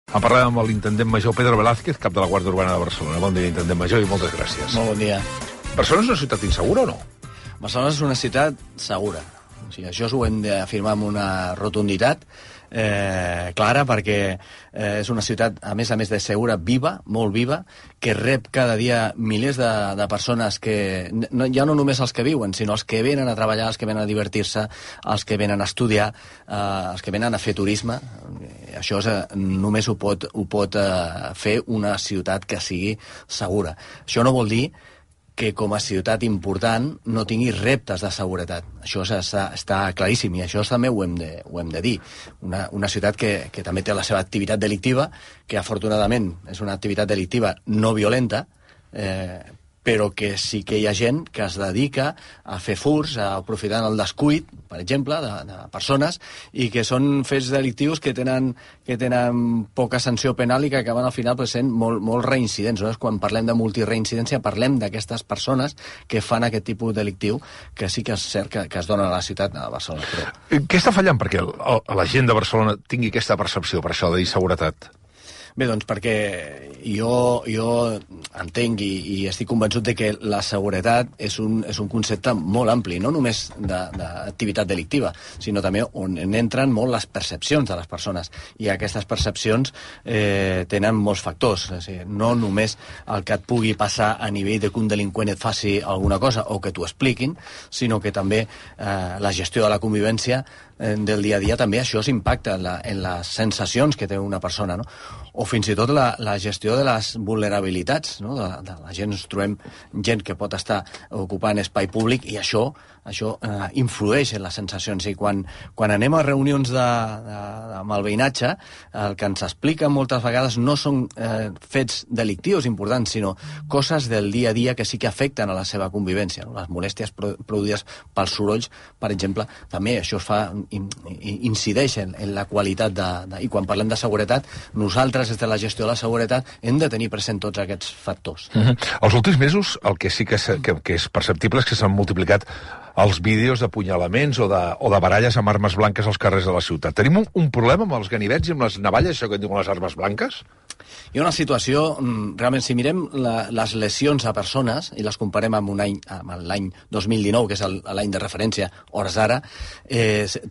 Parlem amb l'intendent major Pedro Velázquez, cap de la Guàrdia Urbana de Barcelona. Bon dia, intendent major, i moltes gràcies. Molt bon dia. Barcelona és una ciutat insegura o no? Barcelona és una ciutat segura. O sigui, això ho hem d'afirmar amb una rotunditat clara, perquè és una ciutat, a més de segura, viva, molt viva, que rep cada dia milers de persones que, ja no només els que viuen, sinó els que venen a treballar, els que venen a divertir-se, els que venen a estudiar, els que venen a fer turisme. Això només ho pot fer una ciutat que sigui segura. Això no vol dir que com a ciutat important no tingui reptes de seguretat. Això està claríssim, i això també ho hem de dir. Una ciutat que també té la seva activitat delictiva, que afortunadament és una activitat delictiva no violenta, però que sí que hi ha gent que es dedica a fer furts, aprofitant el descuit, per exemple, de persones, i que són fets delictius que tenen poca sanció penal i que acaben al final sent molt reincidents. No? Quan parlem de multireincidència parlem d'aquestes persones que fan aquest tipus delictiu, que sí que és cert que es dona a la ciutat de Barcelona. Però... Què està fallant perquè la gent de Barcelona tingui aquesta percepció, per això, d'inseguretat? Bé, doncs perquè jo entenc i estic convençut de que la seguretat és un concepte molt ampli, no només d'activitat delictiva, sinó també on entren molt les percepcions de les persones. I aquestes percepcions tenen molts factors. És a dir, no només el que et pugui passar a nivell de que un delinqüent et faci alguna cosa o que t'ho expliquin, sinó que també la gestió de la convivència del dia a dia, també això s'impacta en les sensacions que té una persona, no? O fins i tot la gestió de les vulnerabilitats, no? De la gent, ens trobem gent que pot estar ocupant espai públic, i això influeix en les sensacions. I quan anem a reunions amb el veïnatge, el que ens explica moltes vegades no són fets delictius importants, sinó coses del dia a dia que sí que afecten a la seva convivència, no? Les molèsties produïdes pels sorolls, per exemple, també això incideix en la qualitat I quan parlem de seguretat, nosaltres, des de la gestió de la seguretat, hem de tenir present tots aquests factors. Els últims mesos, el que sí que és perceptible és que s'han multiplicat els vídeos d'apunyalaments o de baralles amb armes blanques als carrers de la ciutat. Tenim un problema amb els ganivets i amb les navalles, això que en diuen les armes blanques? Hi ha una situació, realment, si mirem les lesions a persones i les comparem amb l'any 2019, que és l'any de referència, hores d'ara,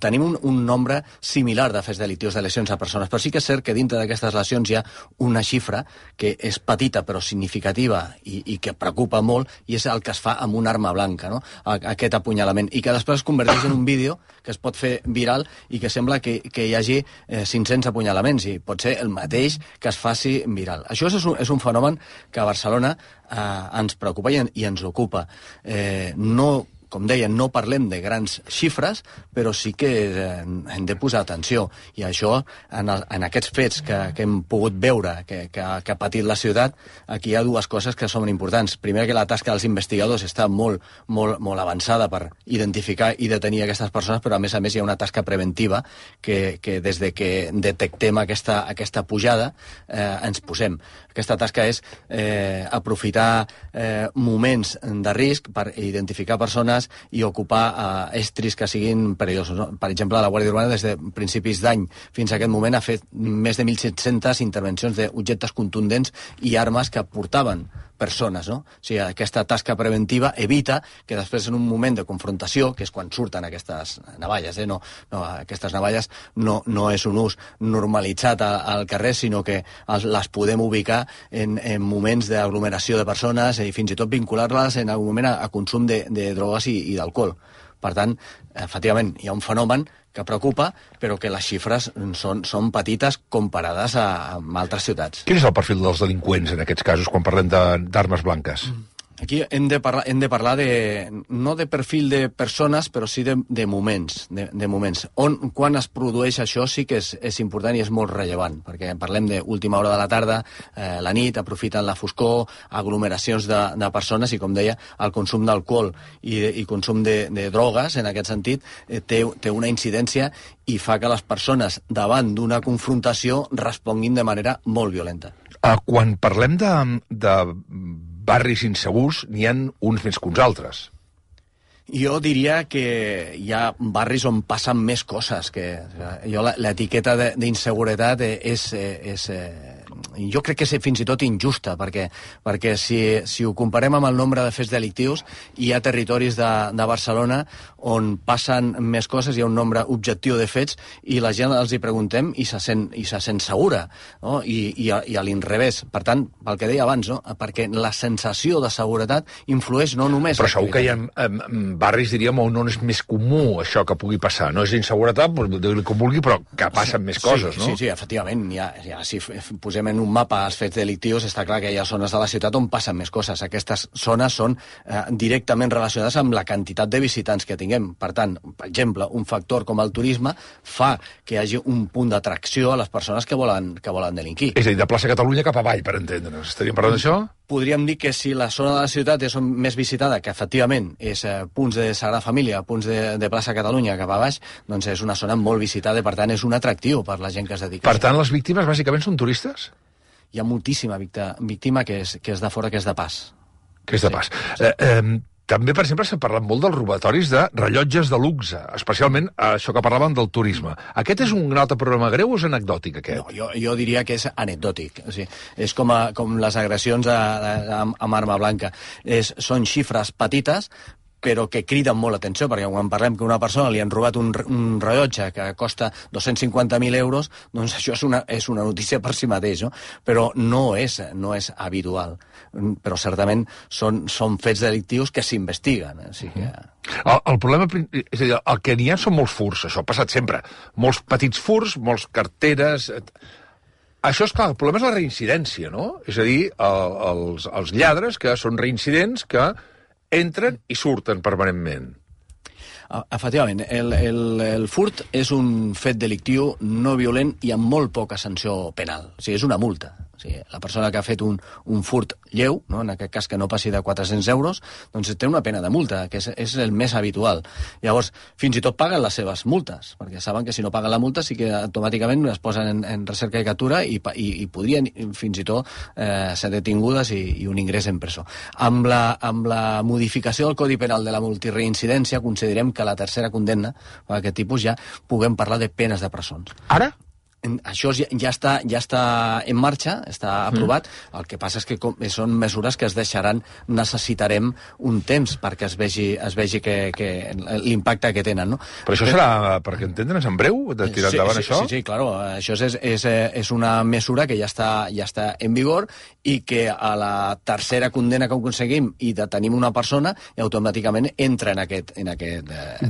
tenim un nombre similar de fets delictius de lesions a persones, però sí que és cert que dintre d'aquestes lesions hi ha una xifra que és petita però significativa i que preocupa molt, i és el que es fa amb una arma blanca, no? Aquest apunyalament, i que després es converteix en un vídeo que es pot fer viral i que sembla que hi hagi 500 apunyalaments, i pot ser el mateix que es faci viral. Això és un fenomen que a Barcelona ens preocupa i ens ocupa. Com deia, no parlem de grans xifres, però sí que hem de posar atenció. I això, en aquests fets que hem pogut veure, que ha patit la ciutat, aquí hi ha dues coses que són importants. Primer, que la tasca dels investigadors està molt avançada per identificar i detenir aquestes persones, però a més hi ha una tasca preventiva que des de que detectem aquesta pujada ens posem. Aquesta tasca és aprofitar moments de risc per identificar persones i ocupar estris que siguin perillosos. No? Per exemple, la Guàrdia Urbana, des de principis d'any fins a aquest moment, ha fet més de 1.700 intervencions d'objectes contundents i armes que portaven persones, no? O sigui, aquesta tasca preventiva evita que després, en un moment de confrontació, que és quan surten aquestes navalles, no, aquestes navalles no és un ús normalitzat al carrer, sinó que les podem ubicar en moments d'aglomeració de persones i fins i tot vincular-les en algun moment a consum de drogues i d'alcohol. Per tant, efectivament, hi ha un fenomen que preocupa, però que les xifres són petites comparades amb altres ciutats. Quin és el perfil dels delinqüents en aquests casos, quan parlem d'armes blanques? Aquí hem de parlar no de perfil de persones, però sí de moments. Quan es produeix això sí que és important i és molt rellevant, perquè parlem d'última hora de la tarda, la nit, aprofiten la foscor, aglomeracions de persones, i, com deia, el consum d'alcohol i consum de drogues, en aquest sentit, té una incidència i fa que les persones, davant d'una confrontació, responguin de manera molt violenta. Quan parlem de barris insegurs, n'hi ha uns més que uns altres. Jo diria que hi ha barris on passen més coses. L'etiqueta d'inseguretat jo crec que és fins i tot injusta, perquè si ho comparem amb el nombre de fets delictius, hi ha territoris de Barcelona on passen més coses, hi ha un nombre objectiu de fets, i la gent els hi preguntem i se sent segura, no? I a l'inrevés. Per tant, pel que deia abans, no? Perquè la sensació de seguretat influeix no només... Però segur que hi ha barris, diríem, on és més comú això que pugui passar. No és inseguretat, dir-li com vulgui, però que passen més coses, no? Sí, efectivament. Si posem en un mapa els fets delictius, està clar que hi ha zones de la ciutat on passen més coses. Aquestes zones són directament relacionades amb la quantitat de visitants que tinguem. Per tant, per exemple, un factor com el turisme fa que hi hagi un punt d'atracció a les persones que volen delinquir. És a dir, de plaça Catalunya cap avall, per entendre'ns. Estaríem parlant d'això? Podríem dir que si la zona de la ciutat és més visitada, que efectivament és punts de Sagrada Família, punts de plaça Catalunya cap a baix, doncs és una zona molt visitada i, per tant, és un atractiu per la gent que es dedica. Per tant, les víctimes bàsicament són turistes? Hi ha moltíssima víctima que és de fora, que és de pas. Que és de pas. També, per exemple, s'ha parlat molt dels robatoris de rellotges de luxe, especialment això que parlàvem del turisme. Aquest és un altre problema greu o és anecdòtic, aquest? No, jo diria que és anecdòtic. O sigui, és com les agressions amb arma blanca. Són xifres petites, però que criden molt l'atenció, perquè quan parlem que una persona li han robat un rellotge que costa 250.000 euros, doncs això és una notícia per si mateix, no? Però no és habitual. Però certament són fets delictius que s'investiguen. O sigui que... El problema, és a dir, el que n'hi ha són molts furts, això ha passat sempre. Molts petits furts, molts carteres... Això, és clar, el problema és la reincidència, no? És a dir, els lladres que són reincidents que entren i surten permanentment. Efectivament, el furt és un fet delictiu no violent i amb molt poca sanció penal. O sigui, és una multa. O sigui, la persona que ha fet un furt lleu, no? En aquest cas que no passi de 400 euros, doncs té una pena de multa, que és el més habitual. Llavors, fins i tot paguen les seves multes, perquè saben que si no paguen la multa sí que automàticament es posen en recerca i captura i podrien fins i tot ser detingudes i un ingrés en presó. Amb la modificació del Codi Penal de la multireincidència considerem que a la tercera condemna per aquest tipus ja puguem parlar de penes de presons. Ara? Això ja està en marxa, està aprovat. El que passa és que són mesures que necessitarem un temps perquè es vegi que l'impacte que tenen, no? Però això serà, perquè entendre'ns, en breu, de tirar endavant això? Sí, claro. Això és una mesura que ja està en vigor i que a la tercera condemna que aconseguim i detenim una persona, automàticament entra en aquest...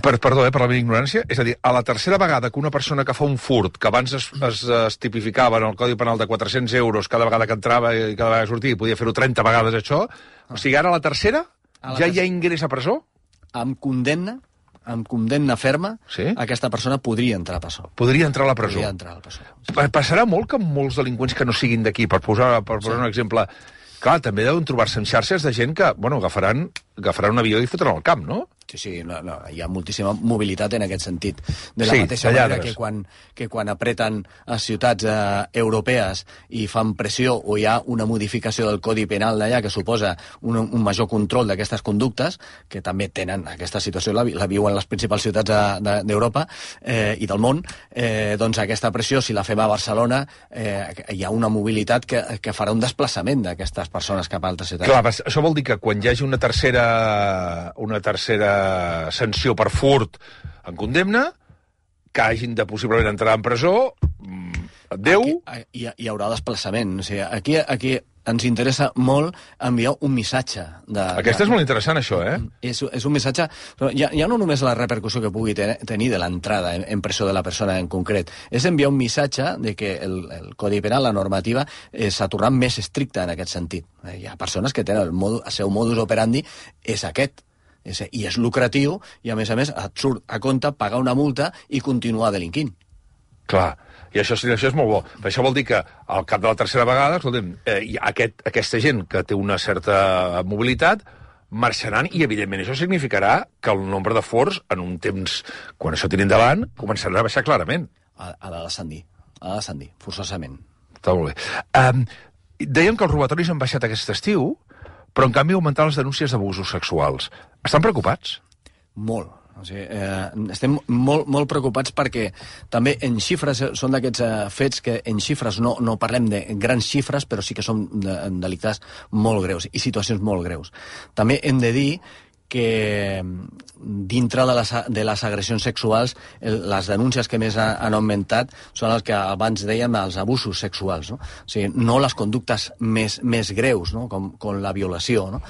Perdó, per la meva ignorància. És a dir, a la tercera vegada que una persona que fa un furt, que abans es tipificava en el Codi Penal de 400 euros cada vegada que entrava i cada vegada que sortia, i podia fer-ho 30 vegades, això. O sigui, ara a la tercera ja hi ha ingrés a presó? Amb condemna ferma, sí? Aquesta persona podria entrar a presó. Podria entrar a la presó. Passarà molt que molts delinqüents que no siguin d'aquí, per posar un exemple... Clar, també deuen trobar-se en xarxes de gent que, agafaran un avió i fotran al camp, no? Sí, hi ha moltíssima mobilitat en aquest sentit. De la mateixa manera que quan apreten a ciutats europees i fan pressió o hi ha una modificació del Codi Penal d'allà que suposa un major control d'aquestes conductes, que també tenen aquesta situació, la viuen les principals ciutats d'Europa i del món, doncs aquesta pressió, si la fem a Barcelona, hi ha una mobilitat que farà un desplaçament d'aquestes persones cap a altres ciutats. Clar, això vol dir que quan hi hagi una tercera sanció per furt en condemna, que hagin de possiblement entrar en presó, adéu... Hi haurà desplaçament. O sigui, aquí ens interessa molt enviar un missatge. Aquesta és molt interessant, això, eh? És un missatge... Però ja no només la repercussió que pugui tenir de l'entrada en presó de la persona en concret, és enviar un missatge de que el Codi Penal, la normativa, s'ha tornat més estricta en aquest sentit. Hi ha persones que tenen el seu modus operandi és aquest, i és lucratiu, i a més et surt a compte pagar una multa i continuar delinquint. Clar, i això és molt bo. Això vol dir que al cap de la tercera vegada, escolta'm, aquesta gent que té una certa mobilitat marxaran i, evidentment, això significarà que el nombre de forts, en un temps, quan això tiri endavant, començarà a baixar clarament. Ha de descendir, forçosament. Està molt bé. Dèiem que els robatoris han baixat aquest estiu, però en canvi augmentar les denúncies d'abusos sexuals. Estan preocupats? Molt. O sigui, estem molt preocupats perquè també en xifres són d'aquests fets que en xifres no parlem de grans xifres, però sí que són delictes molt greus i situacions molt greus. També hem de dir que dintre de les agressions sexuals les denúncies que més han augmentat són els que abans dèiem els abusos sexuals, no? O sigui, no les conductes més greus, no? com la violació, no?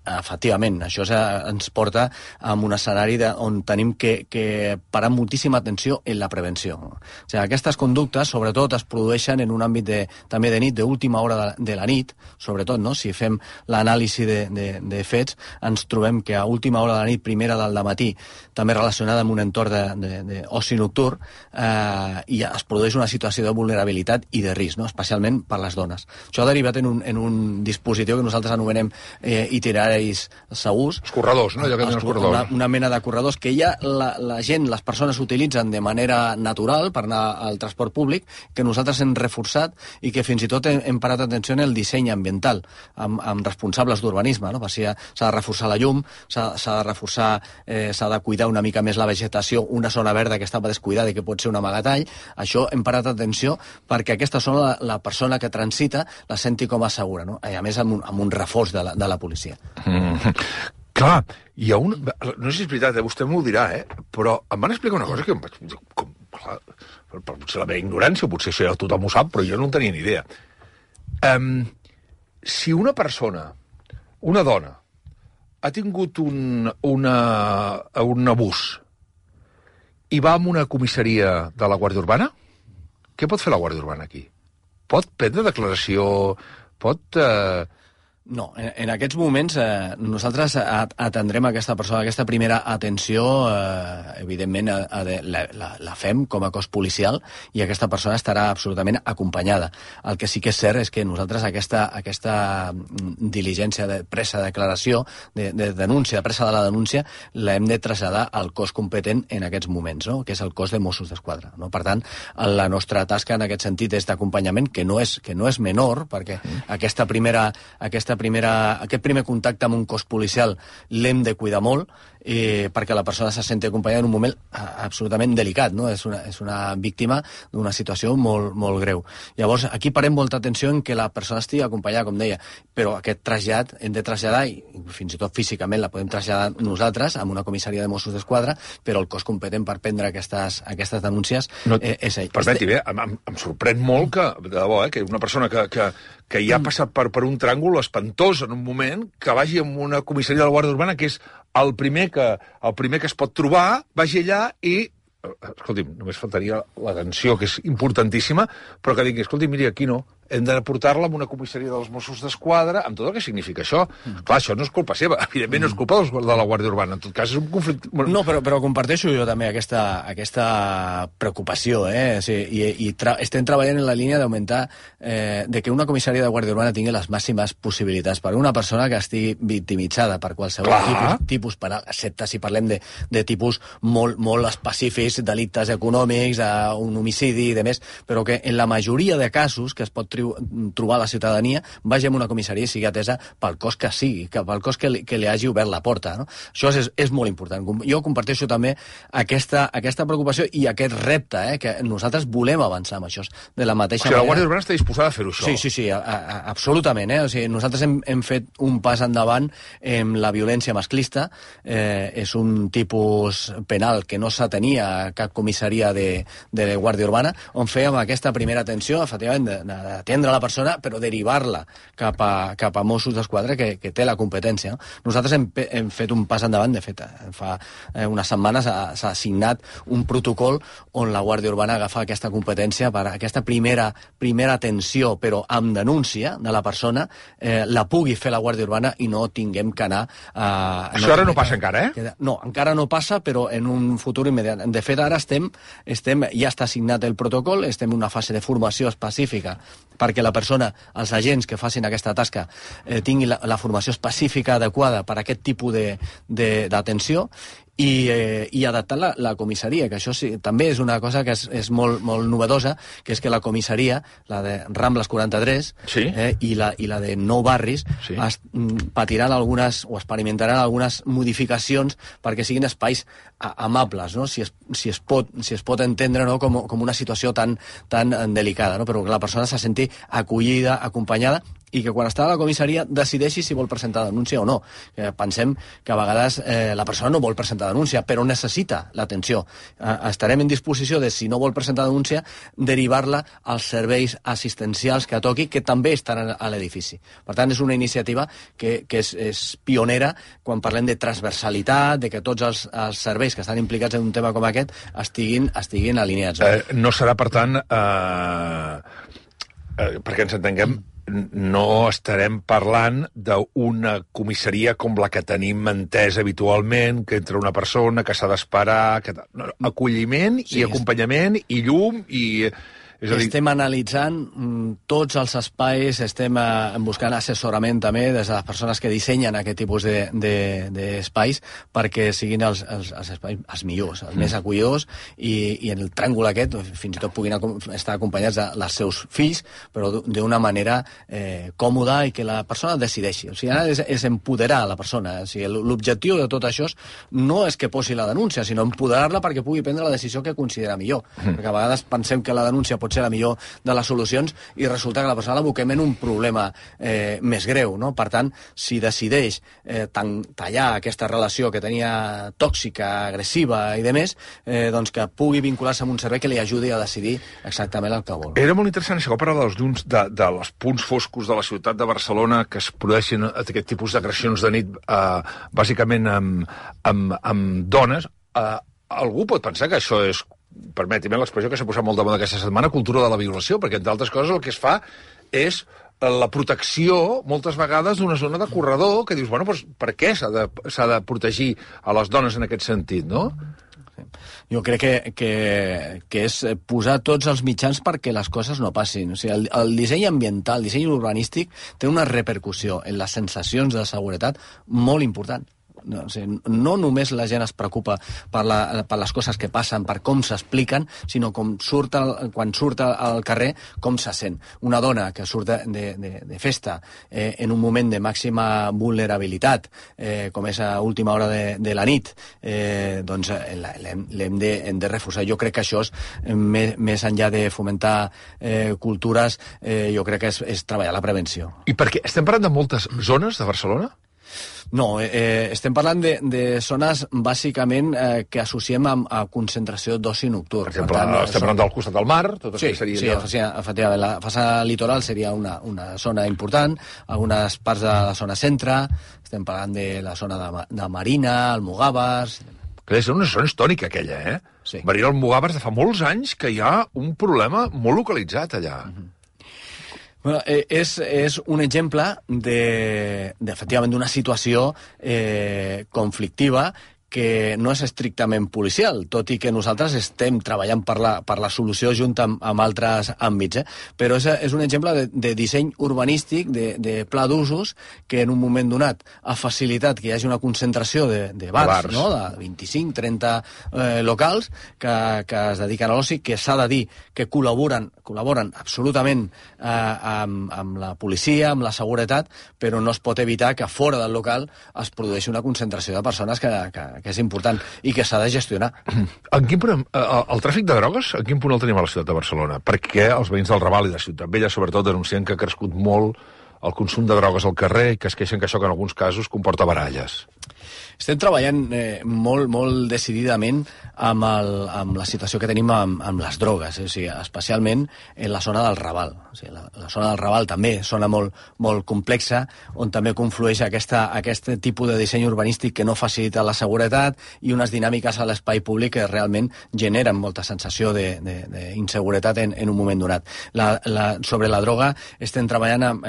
Efectivament, això ens porta a un escenari on tenim que parar moltíssima atenció en la prevenció. O sigui, aquestes conductes, sobretot, es produeixen en un àmbit també de nit, d'última hora de la nit, sobretot, no? Si fem l'anàlisi de fets, ens trobem que a última hora de la nit, primera del dematí, també relacionada amb un entorn d'oci nocturn, i es produeix una situació de vulnerabilitat i de risc, no? Especialment per les dones. Això ha derivat en un dispositiu que nosaltres anomenem itinerari segurs. Els corredors, no? Allò que tenen els corredors. Una mena de corredors que ja la gent, les persones utilitzen de manera natural per anar al transport públic, que nosaltres hem reforçat i que fins i tot hem parat atenció en el disseny ambiental, amb responsables d'urbanisme, no? Perquè s'ha de reforçar la llum, s'ha de reforçar, s'ha de cuidar una mica més la vegetació, una zona verda que estava descuidada i que pot ser un amagatall. Això hem parat atenció perquè aquesta zona la persona que transita la senti com a segura, no? I a més amb un reforç de la policia. Clar, hi ha no sé si és veritat, vostè m'ho dirà, però em van explicar una cosa que em vaig dir, clar, potser la meva ignorància, potser això ja tothom ho sap, però jo no en tenia ni idea. Si una persona, una dona, ha tingut un abús i va a una comissaria de la Guàrdia Urbana, què pot fer la Guàrdia Urbana aquí? Pot prendre declaració? Pot... No, en aquests moments nosaltres atendrem aquesta persona, aquesta primera atenció, evidentment la fem com a cos policial i aquesta persona estarà absolutament acompanyada. El que sí que és cert és que nosaltres aquesta diligència de presa de declaració, de denúncia, de presa de la denúncia, l'hem de traslladar al cos competent en aquests moments, no? Que és el cos de Mossos d'Esquadra, no? Per tant, la nostra tasca en aquest sentit és d'acompanyament, que no és menor, perquè aquest primer contacte amb un cos policial l'hem de cuidar molt perquè la persona se senti acompanyada en un moment absolutament delicat, no? És una víctima d'una situació molt, molt greu. Llavors, aquí parem molta atenció en que la persona estigui acompanyada, com deia, però aquest trasllat hem de traslladar, i fins i tot físicament la podem traslladar nosaltres a una comissaria de Mossos d'Esquadra, però el cos competent per prendre aquestes denúncies és ell. Permeti, em sorprèn molt que, de debò, que una persona que ja ha passat per un tràngol espantós en un moment, que vagi a una comissaria de la Guàrdia Urbana, que és el primer que es pot trobar, vagi allà i... Escolti'm, només faltaria l'atenció, que és importantíssima, però que digui, escolti, miri, aquí no, hem de portar-la a una comissaria dels Mossos d'Esquadra, amb tot el que significa això. Clar, això no és culpa seva, evidentment no és culpa de la Guàrdia Urbana, en tot cas és un conflicte... No, però comparteixo jo també aquesta preocupació, i estem treballant en la línia d'augmentar de que una comissaria de Guàrdia Urbana tingui les màximes possibilitats per una persona que estigui victimitzada per qualsevol tipus penal, excepte si parlem de tipus molt específics, delictes econòmics, un homicidi i demés, però que en la majoria de casos que es pot trobar la ciutadania, vagi a una comissaria i sigui atesa pel cos que sigui, pel cos que li hagi obert la porta, no? Això és molt important. Jo comparteixo també aquesta preocupació i aquest repte, que nosaltres volem avançar amb això. De la mateixa manera... la Guàrdia Urbana està disposada a fer-ho, això. Sí, absolutament. O sigui, nosaltres hem fet un pas endavant en la violència masclista. És un tipus penal que no s'atenia a cap comissaria de Guàrdia Urbana, on fèiem aquesta primera atenció, efectivament, d'atendre la persona, però derivar-la cap a Mossos d'Esquadra, que té la competència. No? Nosaltres hem fet un pas endavant, de fet, fa unes setmanes s'ha signat un protocol on la Guàrdia Urbana agafa aquesta competència per aquesta primera atenció, però amb denúncia de la persona, la pugui fer la Guàrdia Urbana i no tinguem que anar... Això ara no passa encara, No, encara no passa, però en un futur immediat. De fet, ara ja està signat el protocol, estem en una fase de formació específica perquè la persona, els agents que facin aquesta tasca, tinguin la formació específica adequada per a aquest tipus d'atenció, i adaptant la comissaria, que això sí, també és una cosa que és molt novedosa, que és que la comissaria, la de Rambles 43 i la de Nou Barris, patiran algunes o experimentaran algunes modificacions perquè siguin espais amables, no? si es pot entendre, no? com una situació tan delicada, no? Però que la persona se senti acollida, acompanyada, i que quan està a la comissaria decideixi si vol presentar denúncia o no. Pensem que a vegades la persona no vol presentar denúncia, però necessita l'atenció. Estarem en disposició de, si no vol presentar denúncia, derivar-la als serveis assistencials que toqui, que també estan a l'edifici. Per tant, és una iniciativa que és pionera quan parlem de transversalitat, de que tots els serveis que estan implicats en un tema com aquest estiguin alineats. No serà, per tant, perquè ens entenguem, no estarem parlant d'una comissaria com la que tenim entesa habitualment, que entra una persona, que s'ha d'esperar... Acolliment i acompanyament i llum i... Estem analitzant tots els espais, estem buscant assessorament també des de les persones que dissenyen aquest tipus d'espais perquè siguin els espais els millors, els més acollidors, i en el tràngol aquest fins i tot puguin estar acompanyats dels seus fills, però d'una manera còmoda i que la persona decideixi. O sigui, ara és empoderar la persona. O sigui, l'objectiu de tot això no és que posi la denúncia, sinó empoderar-la perquè pugui prendre la decisió que considera millor. Perquè a vegades pensem que la denúncia pot ser la millor de les solucions i resulta que la persona l'aboquem en un problema més greu, no? Per tant, si decideix tallar aquesta relació que tenia tòxica, agressiva i demés, doncs que pugui vincular-se amb un servei que li ajudi a decidir exactament el que vol. Era molt interessant això, parlar dels llums dels punts foscos de la ciutat de Barcelona que es produeixen aquest tipus d'agressions de nit, bàsicament amb dones. Algú pot pensar que això és, permeti-me l'expressió que s'ha posat molt de moda aquesta setmana, cultura de la violació, perquè entre altres coses el que es fa és la protecció, moltes vegades, d'una zona de corredor que dius, bueno, doncs per què s'ha de protegir a les dones en aquest sentit, no? Jo crec que és posar tots els mitjans perquè les coses no passin. O sigui, el disseny ambiental, el disseny urbanístic té una repercussió en les sensacions de seguretat molt important. No, o sigui, no només la gent es preocupa per les coses que passen, per com s'expliquen, sinó quan surt al carrer, com se sent. Una dona que surt de festa en un moment de màxima vulnerabilitat, com és a última hora de la nit, doncs l'hem de reforçar. Jo crec que això és, més enllà de fomentar cultures, jo crec que és treballar la prevenció. I per què? Estem parlant de moltes zones de Barcelona? No, estem parlant de zones bàsicament que associem a concentració d'oci nocturn. Per exemple, estem parlant del costat del mar, tot això seria... Sí, efectivament, la façana litoral seria una zona important, algunes parts de la zona centre, estem parlant de la zona de Marina, Almogàvers... Que és una zona històrica, aquella, eh? Sí. Marina, Almogàvers, de fa molts anys que hi ha un problema molt localitzat allà. Bueno, és un exemple efectivament, d'una situació conflictiva que no és estrictament policial, tot i que nosaltres estem treballant per la solució junt amb altres àmbits. Però és un exemple de disseny urbanístic, de pla d'usos, que en un moment donat ha facilitat que hi hagi una concentració de bars, no? De 25-30 locals que es dediquen a l'oci, que s'ha de dir que col·laboren absolutament amb la policia, amb la seguretat, però no es pot evitar que fora del local es produeixi una concentració de persones que és important i que s'ha de gestionar. En quin punt, el tràfic de drogues, en quin punt el tenim a la ciutat de Barcelona? Perquè els veïns del Raval i de Ciutat Vella, sobretot, denuncien que ha crescut molt el consum de drogues al carrer i que es queixen que això, que en alguns casos, comporta baralles. Estem treballant molt decididament amb la situació que tenim amb les drogues, o sigui, especialment en la zona del Raval. O sigui, la zona del Raval també és zona molt complexa, on també conflueix aquest tipus de disseny urbanístic que no facilita la seguretat i unes dinàmiques a l'espai públic que realment generen molta sensació d'inseguretat en un moment donat. Sobre la droga estem treballant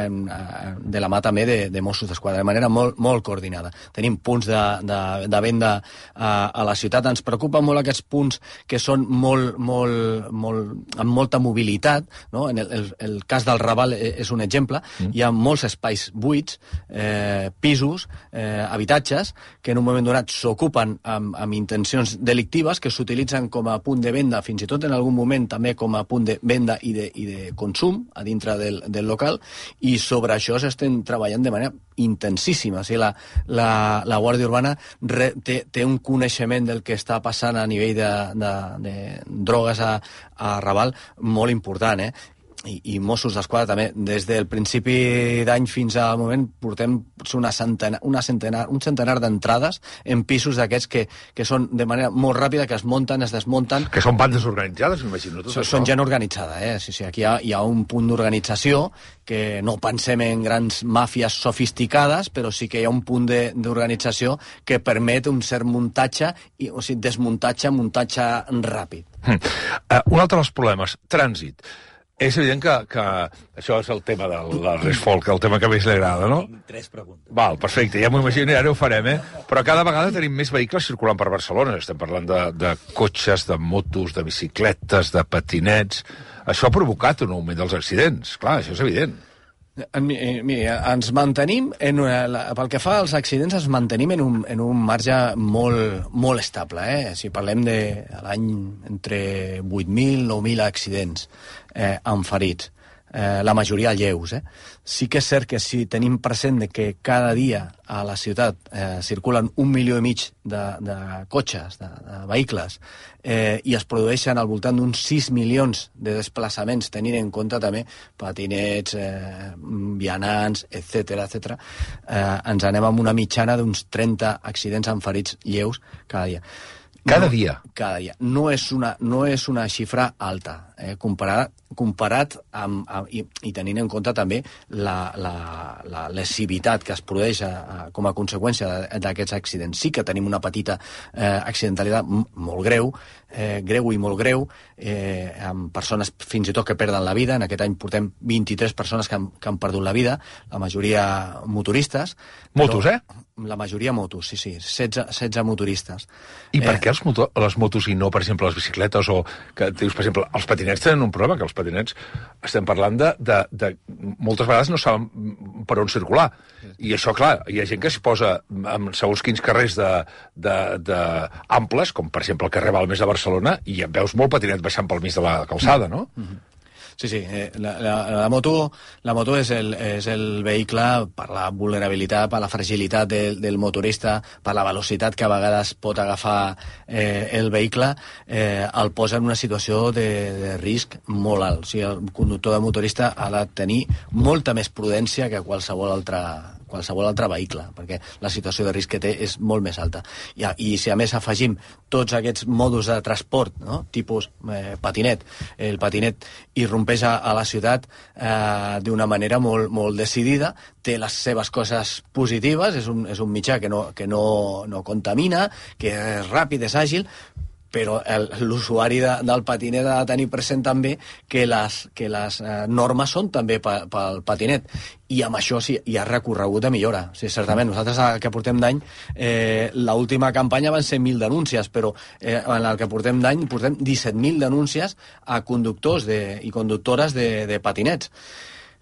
de la mà també de Mossos d'Esquadra, de manera molt coordinada. Tenim punts de venda a la ciutat. Ens preocupen molt aquests punts que són amb molta mobilitat, no? En el cas del Raval és un exemple. Hi ha molts espais buits, pisos, habitatges, que en un moment donat s'ocupen amb intencions delictives, que s'utilitzen com a punt de venda, fins i tot en algun moment també com a punt de venda i de consum a dintre del local, i sobre això s'estem treballant de manera intensíssima. O sigui, la Guàrdia Urbana té un coneixement del que està passant a nivell de drogues a Raval molt important, i Mossos d'Esquadra també. Des del principi d'any fins al moment portem un centenar d'entrades en pisos d'aquests que són de manera molt ràpida, que es munten, es desmunten. Que són bandes organitzades, m'imagino. Són gent organitzada, Sí, aquí hi ha un punt d'organització, que no pensem en grans màfies sofisticades, però sí que hi ha un punt d'organització que permet un cert muntatge, o sigui, desmuntatge, muntatge ràpid. Un altre dels problemes, trànsit. És evident que això és el tema del Resfolk, el tema que més li agrada, no? Tinc 3 preguntes. Val, perfecte, ja m'ho imagino, i ara ho farem, Però cada vegada tenim més vehicles circulant per Barcelona. Estem parlant de cotxes, de motos, de bicicletes, de patinets. Això ha provocat un augment dels accidents. Clar, això és evident. Mira, ens mantenim, pel que fa als accidents, ens mantenim en un marge molt estable. Si parlem de l'any entre 8.000 i 9.000 accidents amb ferits, la majoria lleus. Sí que és cert que si tenim present que cada dia a la ciutat circulen 1,5 milions de cotxes, de vehicles, i es produeixen al voltant d'uns 6 milions de desplaçaments, tenint en compte també patinets, vianants, etc., ens anem amb una mitjana d'uns 30 accidents amb ferits lleus cada dia. Cada dia? Cada dia. No és una xifra alta, comparat amb, i tenint en compte també la lesivitat que es produeix com a conseqüència d'aquests accidents. Sí que tenim una petita accidentalitat molt greu, greu i molt greu, amb persones fins i tot que perden la vida. En aquest any portem 23 persones que han perdut la vida, la majoria motoristes. Motos, La majoria motos, sí, 16 motoristes. I per què les motos i no, per exemple, les bicicletes? O que dius, per exemple, els patinets tenen un problema, que els patinets estem parlant de moltes vegades no saben per on circular. I això, clar, hi ha gent que s'hi posa en segons quins carrers amples, com per exemple el carrer Balmes de Barcelona, i et veus molt patinet baixant pel mig de la calçada, no? Sí, la moto és el vehicle per la vulnerabilitat, per la fragilitat del motorista, per la velocitat que a vegades pot agafar el vehicle, el posa en una situació de risc molt alt. O sigui, el conductor de motorista ha de tenir molta més prudència que qualsevol altre vehicle, perquè la situació de risc que té és molt més alta. I si a més afegim tots aquests mòduls de transport, no? Tipus patinet, el patinet irrompeix a la ciutat d'una manera molt decidida, té les seves coses positives, és un mitjà que no contamina, que és ràpid, és àgil, però l'usuari del patinet ha de tenir present també que les normes són també pel patinet, i amb això sí hi ha recorregut de millora. Sí, certament, nosaltres que portem d'any, l'última campanya van ser 1.000 denúncies, però en el que portem d'any portem 17.000 denúncies a conductors i conductores de patinets.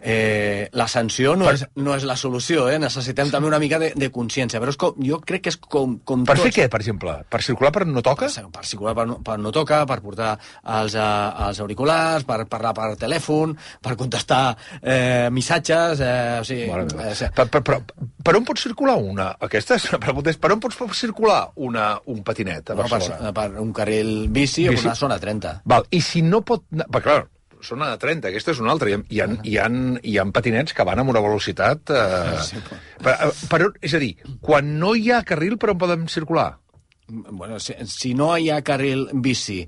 La sanció no és la solució, necessitem també una mica de consciència, però jo crec que és com per fer què, per exemple? Per circular per no toca? Per circular per no toca, per portar els auriculars, per parlar per telèfon, per contestar missatges, o sigui... Per on pot circular una? Aquesta és la pregunta, per on pots circular un patinet a Barcelona? Per un carril bici o per una zona 30. Val, i si no pot... Clar, zona de 30, aquesta és una altra. Hi ha patinets que van amb una velocitat... És a dir, quan no hi ha carril, per on podem circular? Bueno, si no hi ha carril bici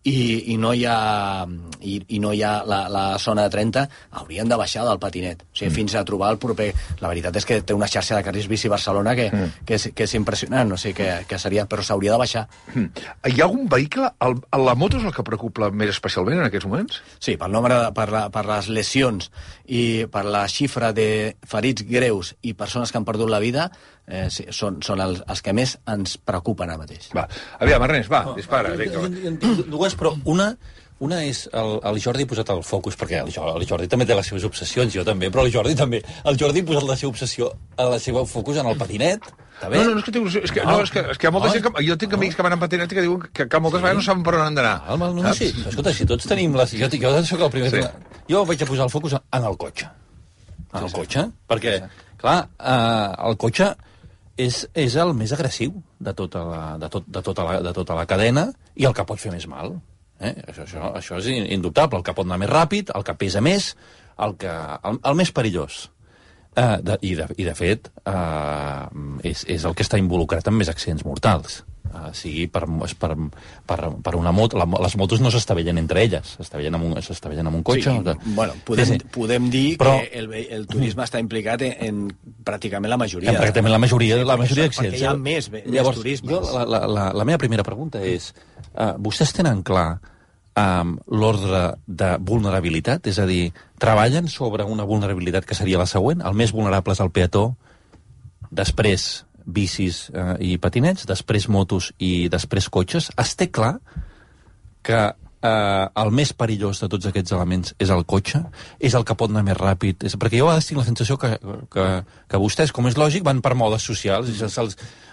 i no hi ha la zona de 30, haurien de baixar del patinet. O sigui, fins a trobar el proper... La veritat és que té una xarxa de carrils bici Barcelona que és impressionant, o sigui, que seria... Però s'hauria de baixar. Hi ha algun vehicle... La moto és el que preocupa més especialment en aquests moments? Sí, per les lesions i per la xifra de ferits greus i persones que han perdut la vida, sí, són els que més ens preocupen ara mateix. Va, aviam, Ernest, dispara. Jo en tinc dues, però una és el Jordi ha posat el focus, perquè el Jordi també té les seves obsessions, jo també, però el Jordi ha posat la seva obsessió, la seva focus en el patinet. No, és que tinc és que hi ha molta gent que... Jo tinc amics que van en patinet i que diuen que moltes vegades no saben per on han d'anar. No, sí, escolta, si tots tenim... Jo soc el primer... Jo vaig a posar el focus en el cotxe. En el cotxe, perquè, clar, el cotxe és el més agressiu de tota la cadena i el que pot fer més mal. Això és indubtable. El que pot anar més ràpid, el que pesa més, el més perillós. I de fet, és el que està involucrat en més accidents mortals. Sigui per una moto. Les motos no s'estavellen entre elles, s'estavellen amb un cotxe. Sí, bueno, podem dir però, que el turisme està implicat en pràcticament la majoria. Pràcticament la majoria d'accidents. Perquè hi ha més turisme. La meva primera pregunta és, vostès tenen clar l'ordre de vulnerabilitat? És a dir, treballen sobre una vulnerabilitat que seria la següent? El més vulnerable és el peató, després bicis i patinets, després motos i després cotxes. Es té clar que el més perillós de tots aquests elements és el cotxe, és el que pot anar més ràpid, perquè jo a vegades tinc la sensació que vostès, com és lògic, van per modes socials,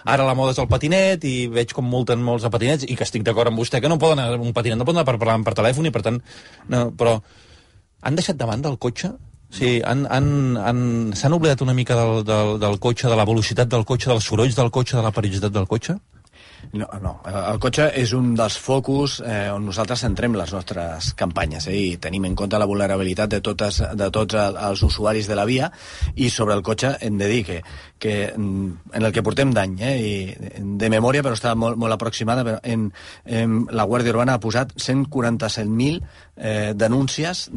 ara la moda és el patinet i veig com multen molts de patinets i que estic d'acord amb vostè que no poden anar un patinet, no poden anar per parlar per telèfon i per tant, no, però han deixat de banda el cotxe? Sí, s'han oblidat una mica del cotxe, de la velocitat del cotxe, dels sorolls del cotxe, de la perillositat del cotxe? No. El cotxe és un dels focus on nosaltres centrem les nostres campanyes i tenim en compte la vulnerabilitat de tots els usuaris de la via, i sobre el cotxe hem de dir que en el que portem d'any, de memòria, però està molt aproximada, però la Guàrdia Urbana ha posat 147.000 denúncies,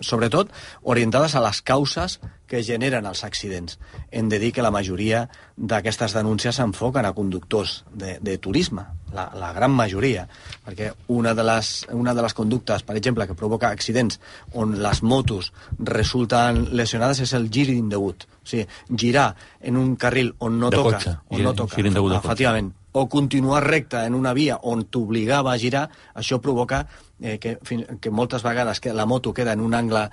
sobretot orientades a les causes que generen els accidents. Hem de dir que la majoria d'aquestes denúncies s'enfoquen a conductors de turisme, la gran majoria, perquè una de les conductes, per exemple, que provoca accidents on les motos resulten lesionades és el gir indegut. O sigui, girar en un carril on no toca, efectivament, o continuar recte en una via on t'obligava a girar, això provoca que moltes vegades la moto queda en un angle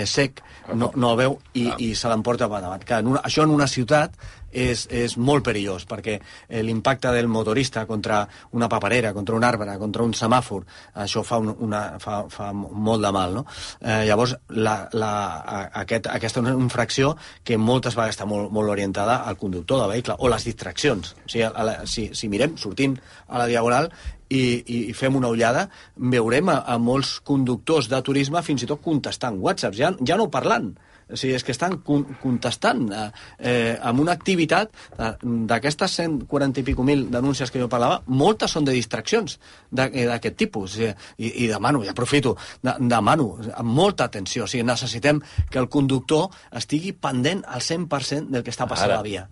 sec, no el veu i se l'emporta per davant. Això en una ciutat és molt perillós, perquè l'impacte del motorista contra una paperera, contra un arbre, contra un semàfor, això fa molt de mal, no? Llavors, aquesta infracció que moltes vegades està molt orientada al conductor del vehicle, o les distraccions. O sigui, si mirem, sortint a la Diagonal i fem una ullada, veurem a molts conductors de turisme fins i tot contestant whatsapps, ja no parlant. O sigui, és que estan contestant amb una activitat d'aquestes 140 i pico mil denúncies que jo parlava, moltes són de distraccions d'aquest tipus. I demano, i aprofito, demano amb molta atenció. O sigui, necessitem que el conductor estigui pendent al 100% del que està passant a la via.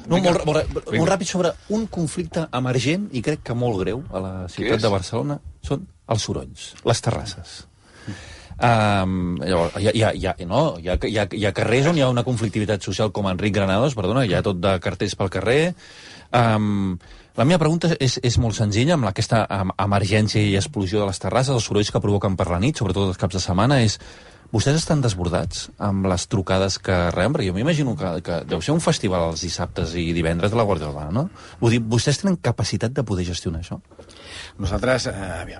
Molt ràpid sobre un conflicte emergent i crec que molt greu a la ciutat de Barcelona són els sorolls, les terrasses. Hi ha carrers on hi ha una conflictivitat social com Enric Granados, hi ha tot de cartells pel carrer. La meva pregunta és molt senzilla, amb aquesta emergència i explosió de les terrasses, els sorolls que provoquen per la nit, sobretot els caps de setmana, vostès estan desbordats amb les trucades que reben? Perquè jo m'imagino que deu ser un festival els dissabtes i divendres de la Guàrdia Urbana, no? Vull dir, vostès tenen capacitat de poder gestionar això? Nosaltres,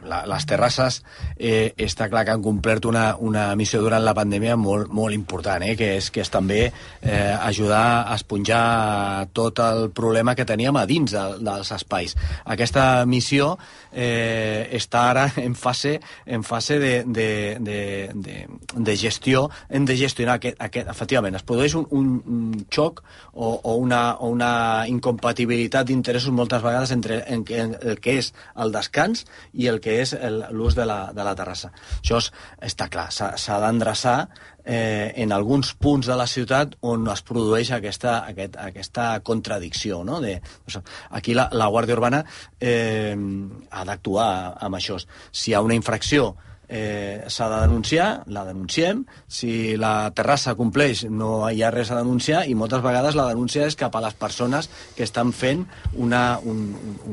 les terrasses, està clar que han complert una missió durant la pandèmia molt, molt important, que és també ajudar a esponjar tot el problema que teníem a dins dels espais. Aquesta missió està ara en fase de gestió. Hem de gestionar efectivament, es produeix un xoc o una incompatibilitat d'interessos moltes vegades entre el que és el descans i el que és l'ús de la terrassa. Això està clar, s'ha d'endreçar en alguns punts de la ciutat on es produeix aquesta contradicció, no? Aquí la Guàrdia Urbana ha d'actuar amb això. Si hi ha una infracció s'ha de denunciar, la denunciem. Si la terrassa compleix, no hi ha res a denunciar, i moltes vegades la denúncia és cap a les persones que estan fent un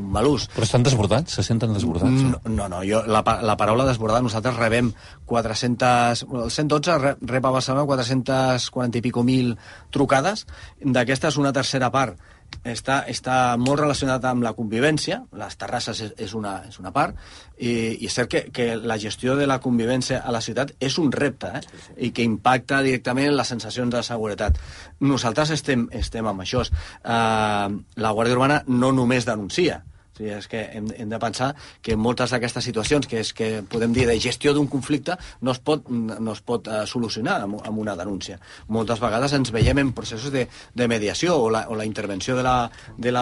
mal ús. Però estan desbordats? Se senten desbordats? No, la paraula desbordar, nosaltres rebem 400... El 112 rep a Barcelona 440 i pico mil trucades. D'aquestes, una tercera part està molt relacionat amb la convivència. Les terrasses és una part, i és cert que la gestió de la convivència a la ciutat és un repte, i que impacta directament en les sensacions de seguretat. Nosaltres estem amb això. La Guàrdia Urbana no només denuncia. O sigui, és que hem de pensar que moltes d'aquestes situacions que podem dir de gestió d'un conflicte no es pot solucionar amb una denúncia. Moltes vegades ens veiem en processos de mediació, o la intervenció de la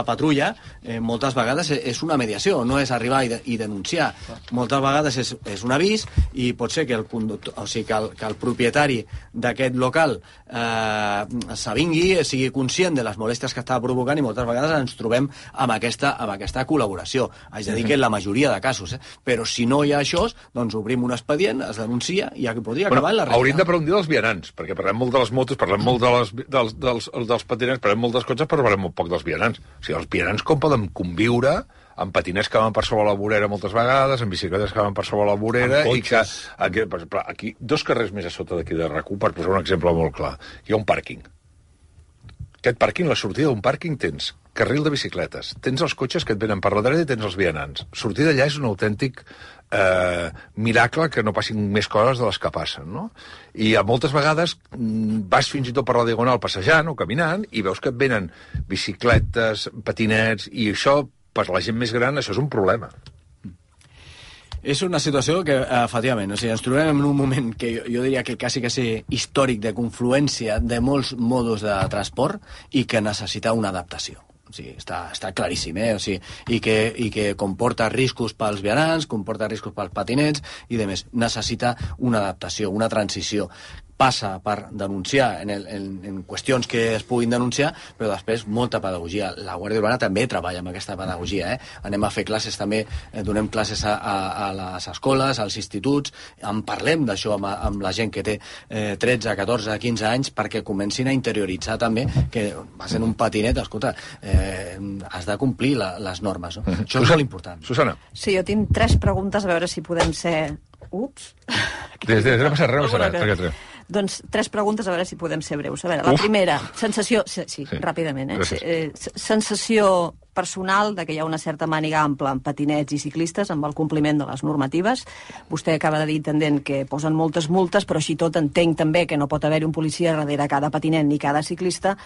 patrulla moltes vegades és una mediació, no és arribar i denunciar. Moltes vegades és un avís, i pot ser que el propietari d'aquest local s'avingui, sigui conscient de les molèsties que estava provocant, i moltes vegades ens trobem amb aquesta col·laboració. Haig de dir que en la majoria de casos, però si no hi ha això, doncs obrim un expedient, es denuncia, i ja podria acabar en la realitat. Hauríem de parlar un dia dels vianants, perquè parlem molt de les motos, parlem molt dels patinets, parlem molt de cotxes, però parlem molt poc dels vianants. O sigui, els vianants com poden conviure amb patinets que van per sobre la vorera moltes vegades, amb bicicletes que van per sobre la vorera, i que aquí, 2 carrers més a sota d'aquí de RAC1, per posar un exemple molt clar, hi ha un pàrquing. Aquest pàrquing, la sortida d'un pàrquing, tens carril de bicicletes, tens els cotxes que et venen per la dreta i tens els vianants. Sortir d'allà és un autèntic miracle que no passin més coses de les que passen, no? I moltes vegades vas fins i tot per la Diagonal passejant o caminant i veus que et venen bicicletes, patinets, i això, per la gent més gran, això és un problema. És una situació que, efectivament, ens trobem en un moment que jo diria que quasi històric, de confluència de molts modos de transport, i que necessita una adaptació. O sigui, està claríssim, O sigui, i que comporta riscos pels vianants, comporta riscos pels patinets i demés. Necessita una adaptació, una transició. Passa per denunciar en qüestions que es puguin denunciar, però després molta pedagogia. La Guàrdia Urbana també treballa amb aquesta pedagogia. Anem a fer classes també, donem classes a les escoles, als instituts, en parlem d'això amb la gent que té 13, 14, 15 anys, perquè comencin a interioritzar també que vas en un patinet, escolta, has de complir les normes. No? Això és molt important. Susana. Sí, jo tinc 3 preguntes, a veure si podem ser... Ups! No passa res. Doncs 3 preguntes, a veure si podem ser breus. A veure, la primera, sensació... Sí, ràpidament, sensació personal de que hi ha una certa màniga ampla en patinets i ciclistes amb el compliment de les normatives. Vostè acaba de dir, intendent, que posen moltes multes, però així tot entenc també que no pot haver-hi un policia darrere cada patinet ni cada ciclista,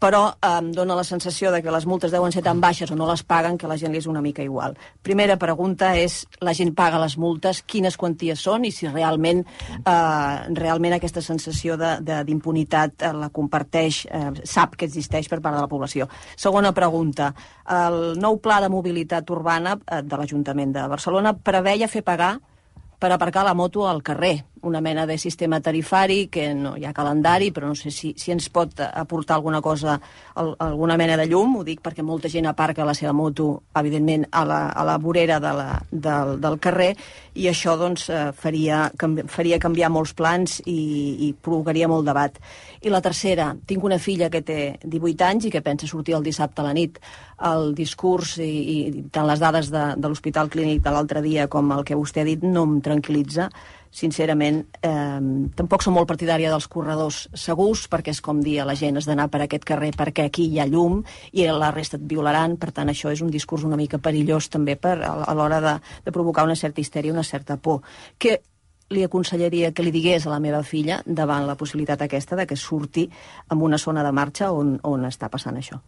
però em dóna la sensació de que les multes deuen ser tan baixes o no les paguen que a la gent li és una mica igual. Primera pregunta és, la gent paga les multes, quines quanties són i si realment aquesta sensació d'impunitat la comparteix, sap que existeix per part de la població. Segona pregunta, el nou pla de mobilitat urbana de l'Ajuntament de Barcelona preveia fer pagar per aparcar la moto al carrer, una mena de sistema tarifari que no hi ha calendari, però no sé si ens pot aportar alguna cosa, alguna mena de llum. Ho dic perquè molta gent aparca la seva moto, evidentment, a la vorera del carrer, i això doncs, faria canviar molts plans i provocaria molt debat. I la tercera, tinc una filla que té 18 anys i que pensa sortir el dissabte a la nit. El discurs i tant les dades de l'Hospital Clínic de l'altre dia com el que vostè ha dit no em tranquil·litza. sincerament, tampoc som molt partidària dels corredors segurs, perquè és com dir a la gent has d'anar per aquest carrer perquè aquí hi ha llum i la resta et violaran. Per tant, això és un discurs una mica perillós també a l'hora de provocar una certa histèria, una certa por. Que li aconsellaria que li digués a la meva filla davant la possibilitat aquesta de que surti en una zona de marxa on està passant això.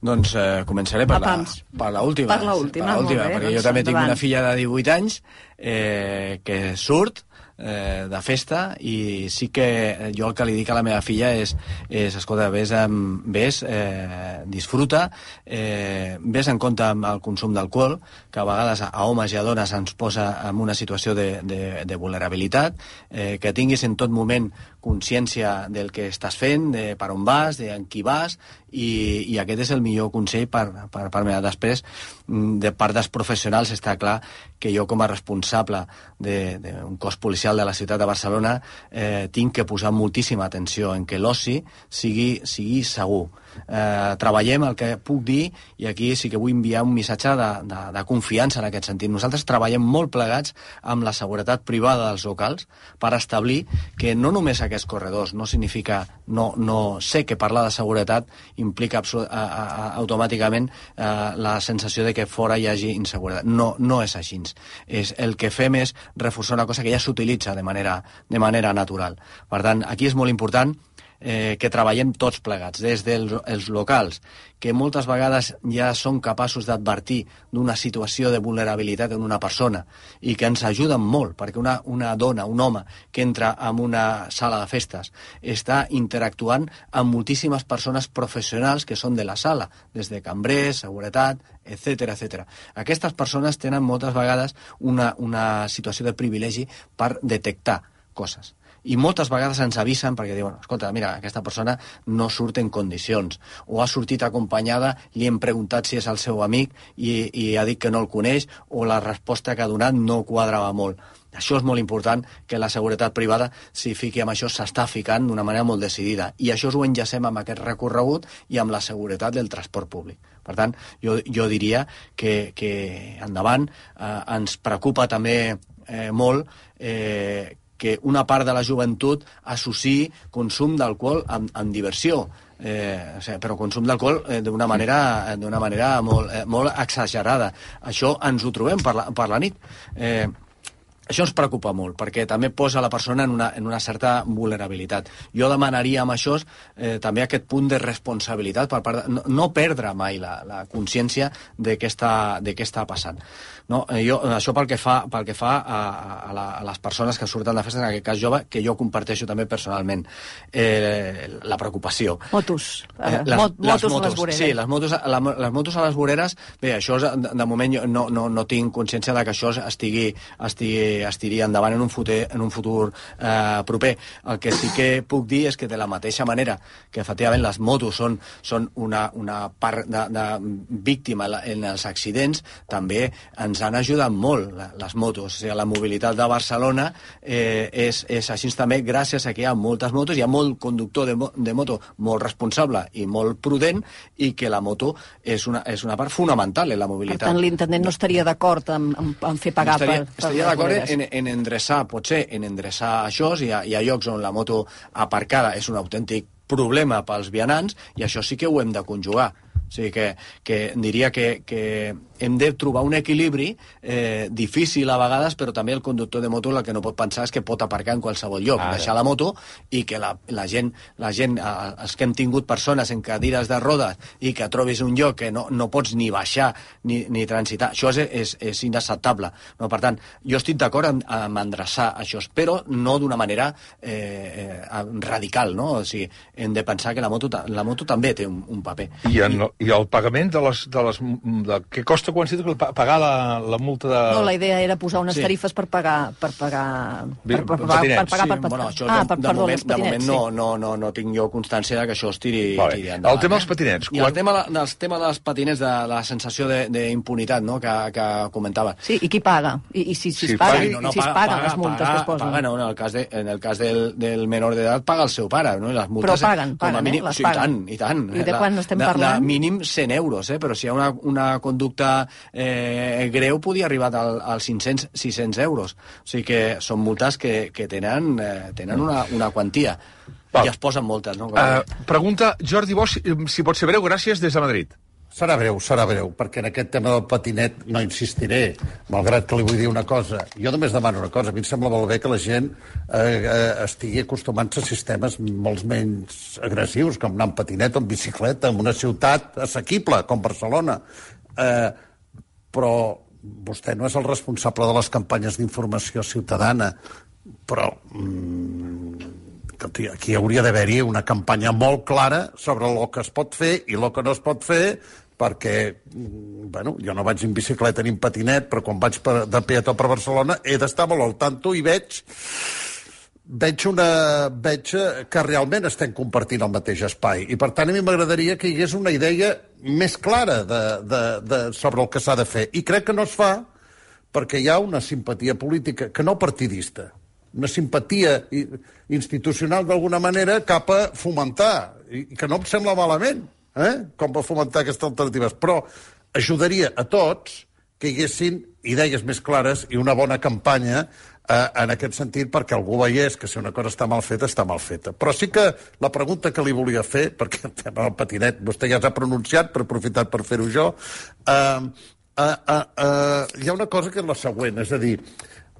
Doncs començaré per l'última. Per l'última, perquè jo també tinc una filla de 18 anys que surt de festa i sí que jo el que li dic a la meva filla és escolta, vés, disfruta, vés en compte amb el consum d'alcohol, que a vegades a homes i a dones ens posa en una situació de vulnerabilitat, que tinguis en tot moment consciència del que estàs fent, de per on vas, de en qui vas, i aquest és el millor consell per part meva. Després, de part dels professionals, està clar que jo com a responsable d'un cos policial de la ciutat de Barcelona tinc que posar moltíssima atenció en que l'oci sigui segur. Treballem el que puc dir, i aquí sí que vull enviar un missatge de confiança en aquest sentit. Nosaltres treballem molt plegats amb la seguretat privada dels locals per establir que no només aquests corredors, no significa, no sé que parlar de seguretat implica automàticament la sensació de que fora hi hagi inseguretat. No és així. El que fem és reforçar una cosa que ja s'utilitza de manera natural. Per tant, aquí és molt important que treballem tots plegats, des dels locals, que moltes vegades ja són capaços d'advertir d'una situació de vulnerabilitat en una persona i que ens ajuden molt, perquè una dona, un home que entra en una sala de festes està interactuant amb moltíssimes persones professionals que són de la sala, des de cambrers, seguretat, etc. Aquestes persones tenen moltes vegades una situació de privilegi per detectar coses. I moltes vegades ens avisen perquè diuen, escolta, mira, aquesta persona no surt en condicions, o ha sortit acompanyada, li hem preguntat si és el seu amic i ha dit que no el coneix, o la resposta que ha donat no quadrava molt. Això és molt important, que la seguretat privada s'hi fiqui amb això, s'està ficant d'una manera molt decidida, i això ho enllacem amb aquest recorregut i amb la seguretat del transport públic. Per tant, jo diria que endavant ens preocupa també molt que una part de la joventut associï consum d'alcohol amb diversió, però consum d'alcohol d'una manera molt exagerada. Això ens ho trobem per la nit. Això ens preocupa molt, perquè també posa la persona en una certa vulnerabilitat. Jo demanaria amb això també aquest punt de responsabilitat per part no perdre mai la consciència de què està passant. No, això pel que fa a les persones que surten de festa, en aquest cas jove, que jo comparteixo també personalment la preocupació. Motos a les voreres. Sí, les motos a les voreres. Bé, això de moment no tinc consciència de que això estigui endavant en un futur proper. El que sí que puc dir és que de la mateixa manera que efectivament les motos són una part de víctima en els accidents, també ens han ajudat molt les motos. O sigui, la mobilitat de Barcelona és així també gràcies a que hi ha moltes motos, hi ha molt conductor de moto molt responsable i molt prudent, i que la moto és una part fonamental en la mobilitat. Per tant, l'intendent no estaria d'acord en fer pagar estaria d'acord en endreçar, potser en endreçar això. Hi ha llocs on la moto aparcada és un autèntic problema pels vianants, i això sí que ho hem de conjugar. O sigui que diria que hem de trobar un equilibri difícil a vegades, però també el conductor de moto el que no pot pensar és que pot aparcar en qualsevol lloc, deixar la moto, i que la gent, els que hem tingut persones en cadires de rodes i que trobis un lloc que no pots ni baixar ni transitar, això és inacceptable. No? Per tant, jo estic d'acord amb endreçar això, però no d'una manera radical, no? O sigui, hem de pensar que la moto també té un paper. I el pagament de què costa quan s'ha de pagar la multa de... No, la idea era posar unes tarifes per pagar patinets. Bueno, això de moment no tinc jo constància que això es tiri endavant. El tema dels patinets. I el tema dels patinets, de la sensació d'impunitat, no?, que comentava. Sí, i qui paga? I si es paguen les multes que es posen? No, en el cas del menor d'edat paga el seu pare, no? I les multes, però paguen, les paguen. I tant. I de quan estem parlant? De mínim 100 euros, però si hi ha una conducta greu podia arribar als 500-600 euros. O sigui que són multes que tenen una quantia. I es posen moltes, no? Pregunta Jordi Bosch, si pot ser breu, gràcies, des de Madrid. Serà breu, perquè en aquest tema del patinet no insistiré, malgrat que li vull dir una cosa. Jo només demano una cosa. A mi em sembla molt bé que la gent estigui acostumant-se a sistemes molt menys agressius, com anar en patinet o en bicicleta, en una ciutat assequible, com Barcelona. Però vostè no és el responsable de les campanyes d'informació ciutadana, però aquí hauria d'haver-hi una campanya molt clara sobre el que es pot fer i el que no es pot fer, perquè, bueno, jo no vaig en bicicleta ni en patinet, però quan vaig de peató per Barcelona he d'estar molt al tanto i veig que realment estem compartint el mateix espai. I, per tant, a mi m'agradaria que hi hagués una idea més clara sobre el que s'ha de fer. I crec que no es fa perquè hi ha una simpatia política, que no partidista, una simpatia institucional d'alguna manera cap a fomentar, i que no em sembla malament, com va fomentar aquestes alternatives, però ajudaria a tots que hi haguessin idees més clares i una bona campanya en aquest sentit, perquè algú veiés que si una cosa està mal feta, està mal feta. Però sí que la pregunta que li volia fer, perquè el tema del patinet vostè ja s'ha pronunciat, però he aprofitat per fer-ho jo, hi ha una cosa que és la següent, és a dir,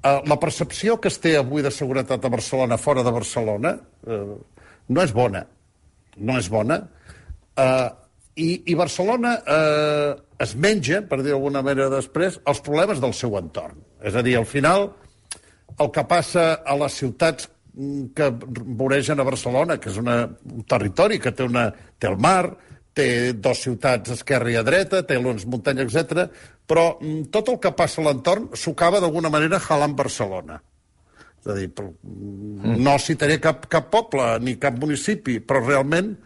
la percepció que es té avui de seguretat a Barcelona fora de Barcelona no és bona. No és bona. I Barcelona es menja, per dir d'alguna manera després, els problemes del seu entorn. És a dir, al final, el que passa a les ciutats que voregen a Barcelona, que és un territori que té el mar, té dues ciutats a esquerra i a dreta, té les muntanyes, etc. Però tot el que passa a l'entorn s'ho acaba d'alguna manera jalant Barcelona. És a dir, no citaré cap poble ni cap municipi, però realment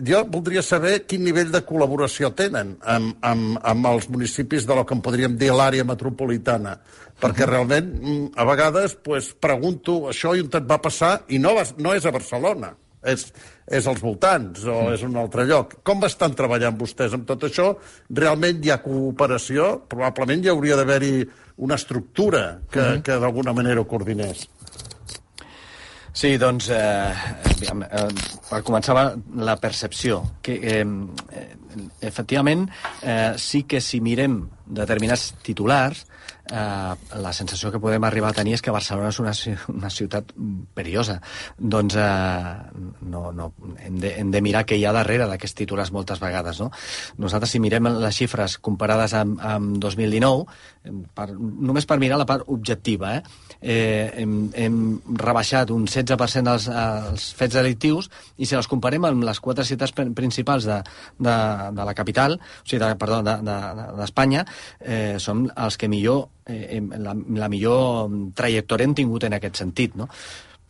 jo voldria saber quin nivell de col·laboració tenen amb els municipis de lo que en podríem dir l'àrea metropolitana, perquè realment a vegades pregunto això i on et va passar i no és a Barcelona, és als voltants o és un altre lloc. Com estan treballant vostès amb tot això? Realment hi ha cooperació? Probablement hi hauria d'haver-hi una estructura que d'alguna manera ho coordinés. Sí, doncs, per començar la percepció, que efectivament sí que si mirem determinats titulars, la sensació que podem arribar a tenir és que Barcelona és una ciutat perillosa. Doncs hem de mirar què hi ha darrere d'aquests titulars moltes vegades, no? Nosaltres, si mirem les xifres comparades amb 2019, només per mirar la part objectiva, hem rebaixat un 16% els fets delictius, i si els comparem amb les 4 ciutats principals de la capital, o sigui, d'Espanya, som els que millor la millor trajectòria hem tingut en aquest sentit, no?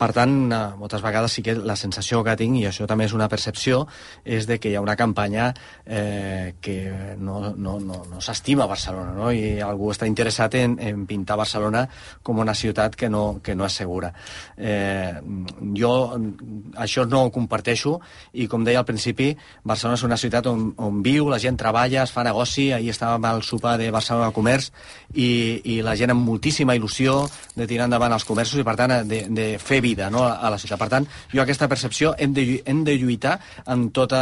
Per tant, moltes vegades sí que la sensació que tinc, i això també és una percepció, és de que hi ha una campanya que no s'estima Barcelona, no? I algú està interessat en pintar Barcelona com una ciutat que no és segura. Jo això no ho comparteixo, i com deia al principi, Barcelona és una ciutat on viu, la gent treballa, es fa negoci. Ahir estàvem al sopar de Barcelona Comerç i la gent amb moltíssima il·lusió de tirar endavant els comerços i, per tant, de fer vida, no, a la ciutat. Per tant, jo aquesta percepció hem de lluitar en tot,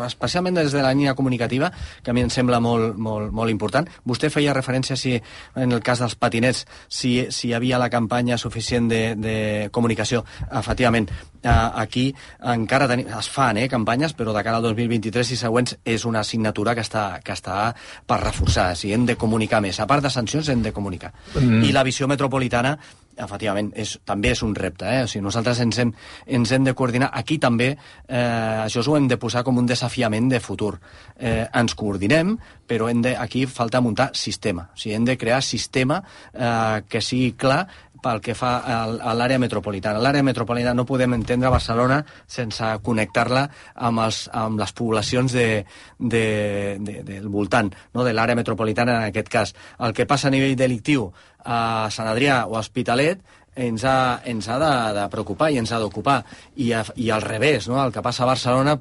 especialment des de la línia comunicativa, que a mi em sembla molt important. Vostè feia referència si en el cas dels patinets si hi havia la campanya suficient de comunicació. Efectivament, aquí encara es fan campanyes, però de cara al 2023 i següents és una assignatura que està per reforçar. Si hem de comunicar més, a part de sancions hem de comunicar. I la visió metropolitana, efectivament, també és un repte. O sigui, nosaltres ens hem de coordinar. Aquí també això ho hem de posar com un desafiament de futur. Ens coordinem, però aquí falta muntar sistema. O sigui, hem de crear sistema que sigui clar pel que fa a l'àrea metropolitana. L'àrea metropolitana no podem entendre Barcelona sense connectar-la amb les poblacions del voltant, no? De l'àrea metropolitana en aquest cas. El que passa a nivell delictiu a Sant Adrià o a Hospitalet ens ha de preocupar i ens ha d'ocupar. I al revés, no? El que passa a Barcelona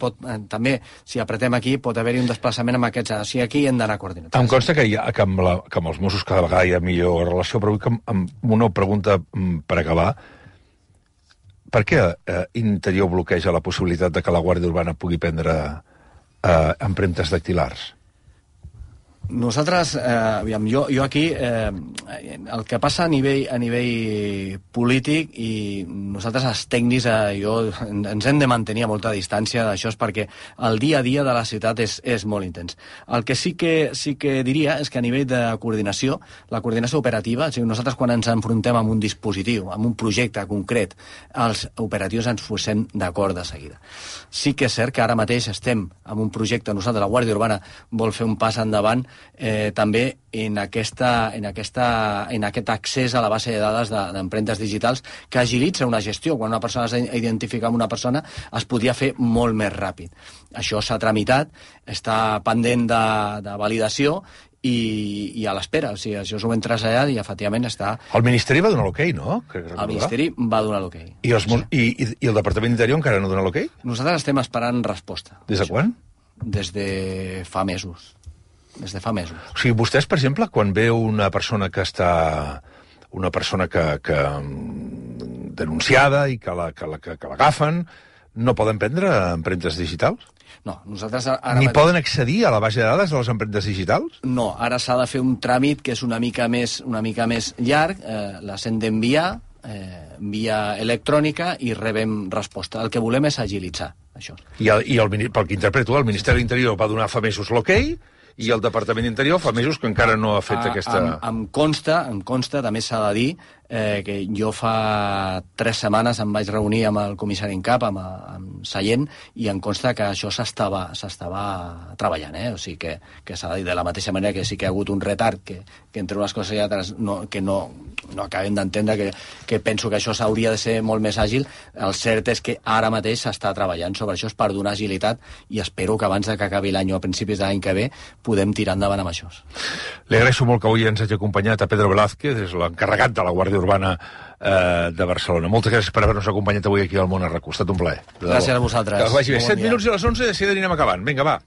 també, si apretem aquí, pot haver-hi un desplaçament amb aquests. O sigui, aquí hem d'anar coordinats. Em consta que amb els Mossos cada vegada hi ha millor relació, però avui amb una pregunta per acabar. Per què Interior bloqueja la possibilitat de que la Guàrdia Urbana pugui prendre empremtes dactilars? Nosaltres, jo aquí, el que passa a nivell polític, i nosaltres els tècnics ens hem de mantenir a molta distància d'això, perquè el dia a dia de la ciutat és molt intens. El que sí que diria és que a nivell de coordinació, la coordinació operativa, o sigui, nosaltres quan ens enfrontem amb un dispositiu, amb un projecte concret, els operatius ens posem d'acord de seguida. Sí que és cert que ara mateix estem amb un projecte, nosaltres, la Guàrdia Urbana vol fer un pas endavant també en aquest accés a la base de dades d'empremtes digitals que agilitza una gestió. Quan una persona s'ha d'identificar amb una persona es podria fer molt més ràpid. Això s'ha tramitat, està pendent de validació i a l'espera. O sigui, això s'ho hem traslladat i efectivament està... El Ministeri va donar l'okei, no? El Ministeri va donar l'okei. I el Departament d'Interior encara no dona l'okei? Nosaltres estem esperant resposta. Des de quan? Des de fa mesos. O sigui, vostès, per exemple, quan veu una persona que està... una persona que denunciada i que l'agafen, no poden prendre empremtes digitals? No, nosaltres... Ni poden accedir a la base de dades de les empremtes digitals? No, ara s'ha de fer un tràmit que és una mica més llarg, les hem d'enviar via electrònica i rebem resposta. El que volem és agilitzar això. I pel que interpreto, el Ministeri de l'Interior va donar fa mesos l'okei, i el Departament d'Interior fa mesos que encara no ha fet aquesta... Em consta, també s'ha de dir, que jo fa 3 setmanes em vaig reunir amb el comissari en cap, amb Sallent, i em consta que això s'estava treballant, O sigui que s'ha de dir de la mateixa manera que sí que hi ha hagut un retard, que entre unes coses i altres no acabem d'entendre, que penso que això s'hauria de ser molt més àgil. El cert és que ara mateix s'està treballant sobre això per donar agilitat, i espero que abans que acabi l'any o a principis de l'any que ve podem tirar endavant amb això. Li agraeixo molt que avui ens hagi acompanyat a Pedro Velázquez, és l'encarregat de la Guàrdia Urbana de Barcelona. Moltes gràcies per haver-nos acompanyat avui aquí al Món RQ. Ha estat un plaer. Gràcies a vosaltres. Que vagi bé. 7 minuts i a les 11, de seguida anirem acabant. Vinga, va.